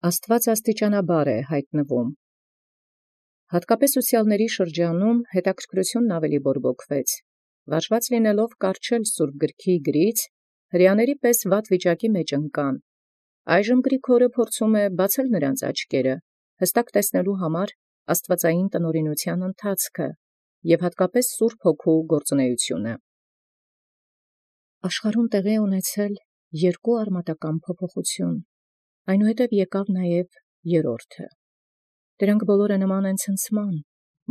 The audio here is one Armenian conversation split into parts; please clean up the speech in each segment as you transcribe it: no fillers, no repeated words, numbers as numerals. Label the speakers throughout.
Speaker 1: Աստուած աստիճանաբար է յայտնվում։ Հատկապես ուսեալսն շրջանում հետաքրքրութիւնն ավելի բորբոքվեց, վարժված լինելով կառչել սուրբ գրոյն գրից, հրեաների պես վատ վիճակի ընկան. այժմ Գրիգորը փորձում է բացել նոցին աչքերը, հստակ տեսնելու համար աստուածեղէն տնօրինութեան ընթացքը և հատկապես սուրբ հոգու գործունեութիւնը։ Աշխարհում տեղի ունեցել երկու արմատական փոփոխութիւն, այնուհետև եկեալ նաև երրորդը։ Դրանք բոլորը նման են ցնցման,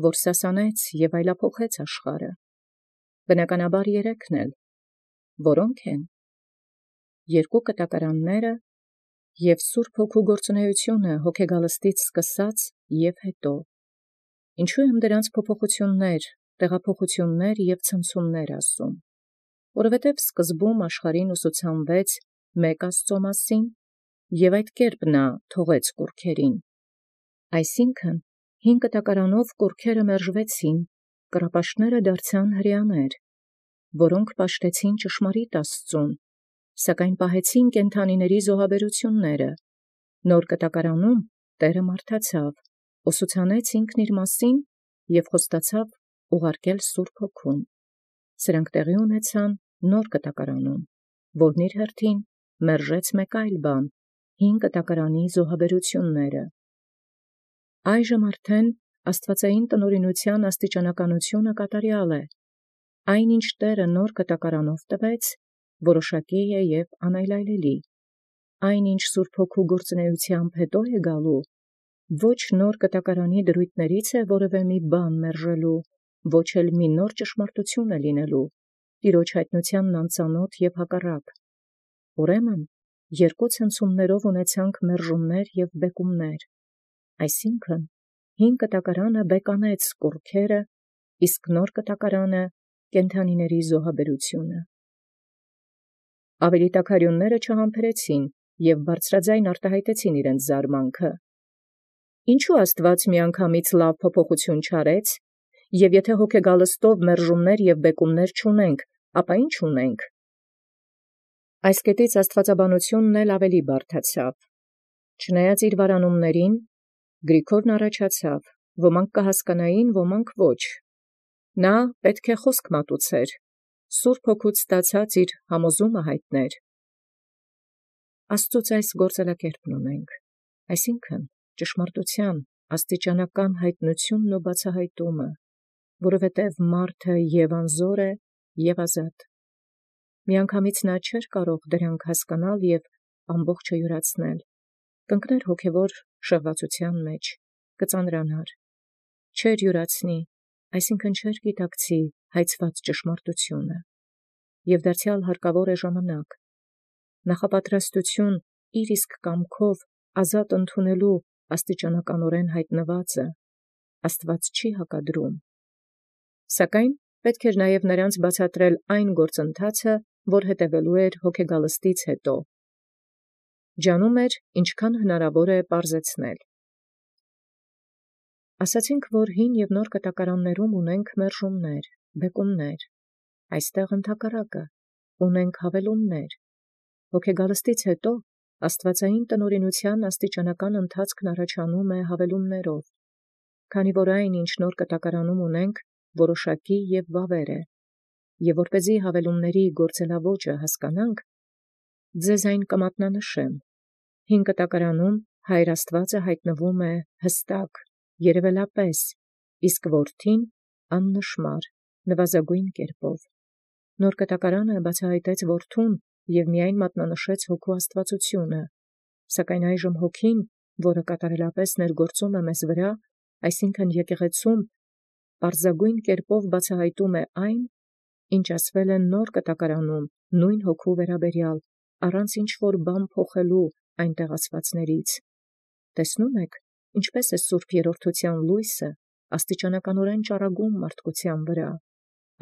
Speaker 1: որ սասանեց և այլափոխեց աշխարհը։ Բնականաբար երեքն էլ, որո՞նք են. երկու կտակարանները և սուրբ հոգու գործունեութիւնը հոգեգալստից սկսած և հետո։ Ինչո՞ւ եմ դրանց փոփոխութիւններ, տեղափոխութիւններ և ցնցումներ ասում. որովհետև սկզբում աշխարհին ուսուցանվեց մեկ Աստուծոյ մասին, և այդ կերպ թողեց կուռքերին. այսինքն 5 կտակարանով կուռքերը մերժվեցին, կռապաշտները դարձան հրեաներ, որոնք պաշտեցին ճշմարիտ Աստուծոյ, սակայն պահեցին կենդանիների զոհաբերութիւնները. նոր կտակարանում Տէրը մարդացավ, ուսուցանեց ինքն իրմասին և խոստացավ ուղարկել սուրբ հոգուն. սրանք տեղի ունեցան նոր կտակարանում, որն իր հերթին մերժեց մեկ այլ բան, 5 կտակարանի զոհաբերութիւնները։ Այժմ արդեն աստուածեղէն տնօրինութեան աստիճանականութիւնը կատարեալ է. այն ինչ Տէրը նոր կտակարանով տվեց, որոշակի է և անայլայլելի. այն ինչ սուրբ հոգու գործունեութեամբ հետո է գալու, ոչ նոր կտակարանի դրույտներից է որևէ մի բան մերժելու, ոչ էլ մի նոր ճշմարտութիւն է լինելու, Տեառոջ յայտնութեանն անծանաւթ և հակառակ։ Ուրեմն երկու ցնցումներով ունեցանք մերժումներ և բեկումներ, այսինքն 5 կտակարանը բեկանեց կուռքերը, իսկ նոր կտակարանը կենդանիների զոհաբերութիւնը։ Ավելի տաքարիւնները չհամբերեցին և բարձրագոյն արտահայտեցին իրենց զարմանքը. «Ինչո՞ւ Աստուած միանգամից լավ փոփոխութիւն չարեց, և եթէ հոգեգալստով մերժումներ և բեկումներ չունենք, ապա ի՞նչ ունենք»։ Այս կետից աստուածաբանութիւնն էլ ավելի բարդացավ. չնայած իր վարանումացն, Գրիգորն առաջացավ, ոմանք կհասկանային, ոմանք ոչ։ Պետք է խոսք մատուցիցեր, սուրբ հոգուց ստացած իր համոզումն յայտիցեր։ Աստուծոյ այս գործելակերպն ունենք, այսինքն ճշմարտութեան աստիճանական յայտնութիւնն ու բացահայտումը, որովհետև մարդը և անզոր է, և ազատ։ Միանգամից չէր կարող դրանք հասկանալ և ամբողջը յուրացնել, կընկներ հոգևոր շեղվածութեան մեջ, կծանրանար, չէր յուրացնի, այսինքն չէր գիտակցի յայցված ճշմարտութիւնը, և դարձեալ հարկավոր է ժամանակ, նախապատրաստութիւն իր իսկ կամքով ազատ ընդունելու աստիճանականորեն յայտնուածը Աստուած չի հակադրում։ Սակայն պետք էր նաև նրանց բացատրել այն գործընթացը, որ հետևելու էր հոգեգալստից հետո։ Ջանում էր ինչքան հնարավոր է պարզեցնել։ Ասացինք, որ հին և նոր կտակարաններում ունենք մերժումներ, բեկումներ, այստեղ ընդհակառակը, ունենք հավելումներ։ Հոգեգալստից հետո աստուածեղէն տնօրինութեան աստիճանական ընթացքն առաջանում է հավելումներով, քանի որ այն, ինչ նոր կտակարանում ունենք, որոշակի և վավեր է, և որպեսզի հավելումների գործելաոճը հասկանանք, ձեզ այն կմատնանշեմ. 5 կտակարանում Հայր Աստուածը յայտնվում է հստակ, երևելապես, իսկ Որդին աննշմար, նվազագոյն կերպով։ Նոր կտակարանը բացահայտեց Որդուն և միայն մատնանշեց հոգու աստուածութիւնը, սակայն այժմ հոգին, որը կատարելապես ներգործում է մեզ վրա, այսինքն եկեղեցում, պարզագոյն կերպով բացահայտում է այն, ինչ ասվել է նոր կտակարանում նույն հոգու վերաբերյալ, առանց ինչ-որ բան փոխելու այնտեղ ասվածներից։ Տեսնո՞ւմ եք, ինչպէս է սուրբ երրորդութեան լոյսը աստիճանականորեն ճառագում մարդկութեան վրա։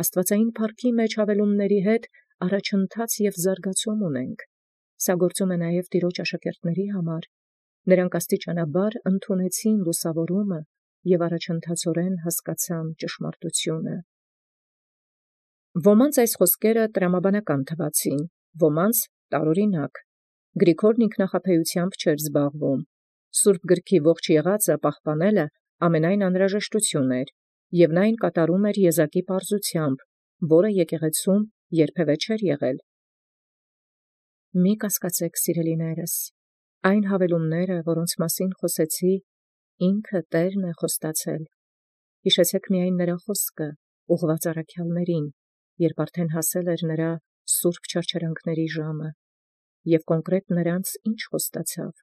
Speaker 1: Աստուածեղէն փառքի մեջ հավելումների հետ առաջընթաց և զարգացում ունենք։ Սա գործում է նաև Տեառոջ աշակերտաց համար. նրանք աստիճանաբար ընդունեցին լուսաւորումը և առաջընթացորեն հասկացան ճշմարտութիւնը։ Ոմանց այս խոսքերը տրամաբանական թվացին, ոմանց տարօրինակ. Գրիգորն ինքնախաբեութեամբ չէր զբաղվում, Սուրբ գրքի ողջ եղածը պահպանելը ամենայն անհրաժեշտություն էր, և նա այն կատարում էր եզակի պարզությամբ, որը եկեղեցում երբևէ չէր եղել։ Մի կասկածեք, սիրելիներս, այն հավելումները, որոնց մասին խոսեցի, ինքը Տերն է խոստացել։ Հիշեցեք միայն նրա խոսքը, ուղղված առաքյալներին, երբ արդեն հասել էր նրա սուրբ չարչարանքների ժամը, և կոնկրետ նրանց ինչ խոստացավ,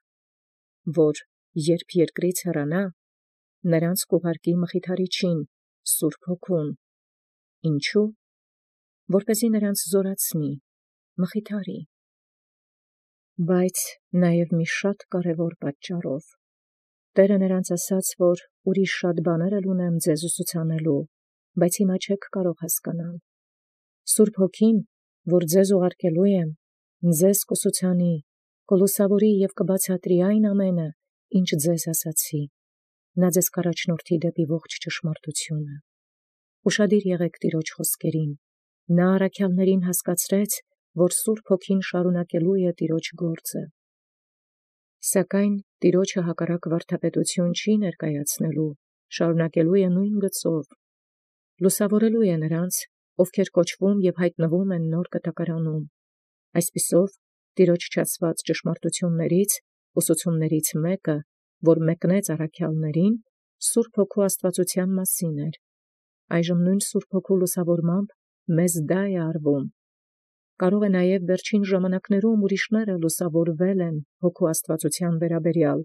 Speaker 1: որ երբ երկրից հեռանա, նրանց կուղարկի Մխիթարիչին, Սուրբ Հոգուն։ Ինչու՞։ Որպեսզի նրանց զորացնի, մխիթարի։ Բայց նաև մի շատ կարևոր պատճառով։ Տերը նրանց ասաց, որ ուրիշ շատ բաներ ունեմ ձեզ ուսուցանելու, բայց հիմա չեք կարող հասկանալ։ Սուրբ Հոգին, որ ձեզ ուղարկելու եմ, ձեզ կուսուցանի, կլուսավորի և կբացատրի այն ամենը, ինչ ձեզ ասացի։ Նա ձեզ կառաջնորդի դեպի ողջ ճշմարտությունը։ Ուշադիր եղեք Տիրոջ խոսքերին։ Նա առաքյալներին հասկացրեց, որ Սուրբ Հոգին շարունակելու է Տիրոջ գործը։ Սակայն Տիրոջը հակառակ վարդապետություն չի ներկայացնելու, շարունակելու է նույն գծով, լուսավորելու է նրանց, ովքեր կոչվում և հայտնվում են նոր կտակարանում։ Այսպիսով, Տիրոջ չասված ճշմարտություններից, ուսուցումներից մեկը, որ մեկնեց առաքյալներին, Սուրբ Հոգու աստվածության մասին էր։ Այժմ նույն Սուրբ Հոգու լուսավորմամբ մեզ դա է արվում։ Կարող է նաև վերջին ժամանակներում ուրիշները լուսավորվել են Հոգու աստվածության վերաբերյալ,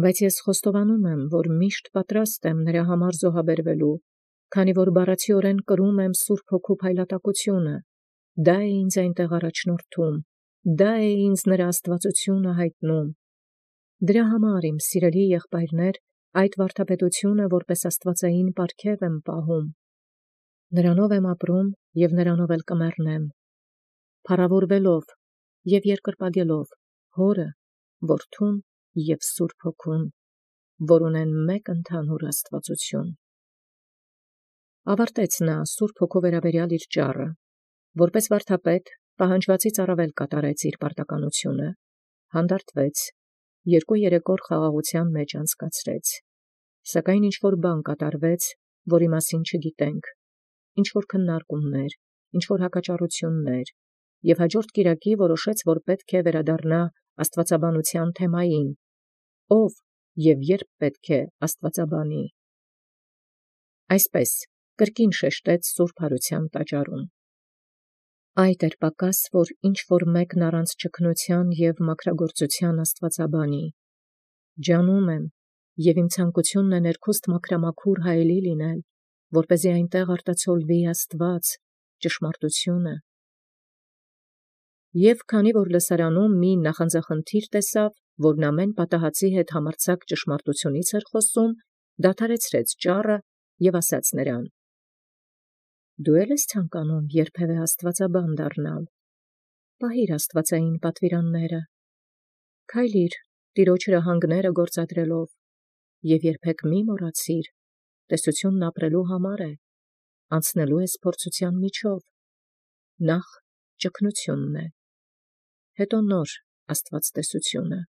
Speaker 1: բայց ես խոստովանում եմ, որ միշտ պատրաստ եմ նրա համար զոհաբերվելու, քանի որ բառացիորեն կրում եմ Սուրբ Հոգու փայլատակությունը, դա է ինձ այնտեղ առաջնորդում, դա է ինձ նրա աստվածությունը հայտնում։ Դրա համար, իմ սիրելի եղբայրներ, այդ վարդապետությունը որպես աստվածային պարգև եմ պահում։ Նրանով եմ ապրում և նրանով էլ կմեռնեմ, փառավորվելով և երկրպագելով Հորը, Որդուն և Սուրբ Հոգուն, որ ունեն մեկ ընդհանուր աստվածություն։ Ավարտեց նա Սուրբ Հոգու վերաբերյալ իր ճառը, որպես վարդապետ պահանջվածից առավել կատարեց իր պարտականությունը, հանդարտվեց, 2-3 օր խաղաղության մեջ անցկացրեց, սակայն ինչ-որ բան կատարվեց, որի մասին չգիտենք, ինչ-որ քննարկումներ, ինչ-որ հակաճառություններ, և հաջորդ կիրակի որոշեց, որ պետք է վերադառնա աստվածաբանության թեմային, ով և երբ պետք է աստվածաբանի։ Այսպես, կրկին շեշտեց Սուրբ Հարության տաճարում։ Այդ էր պակաս, որ ինչ-որ մեկն առանց ճգնության և մաքրագործության աստվածաբանի։ Ջանում եմ, և իմ ցանկությունն է ներքուստ մաքրամաքուր հայելի լինել, որպեսզի այնտեղ արտացոլվի Աստված, ճշմարտությունը։ Եվ քանի որ լսարանում մի նախանձախնդիր տեսավ, որն ամեն պատահածի հետ համարձակ ճշմարտությունից էր խոսում, դադարեցրեց ճառը և ասաց նրան. «Դու էլ ես ցանկանում երբևէ աստվածաբան դառնալ, պահիր աստվածային պատվիրանները, քայլիր Տիրոջ հրահանգները գործադրելով, և երբեք մի մոռացիր, տեսությունն ապրելու համար է, անցնելու ես փորձության միջով, նախ ճգնությունն է, հետո նոր աստվածտեսությունը»։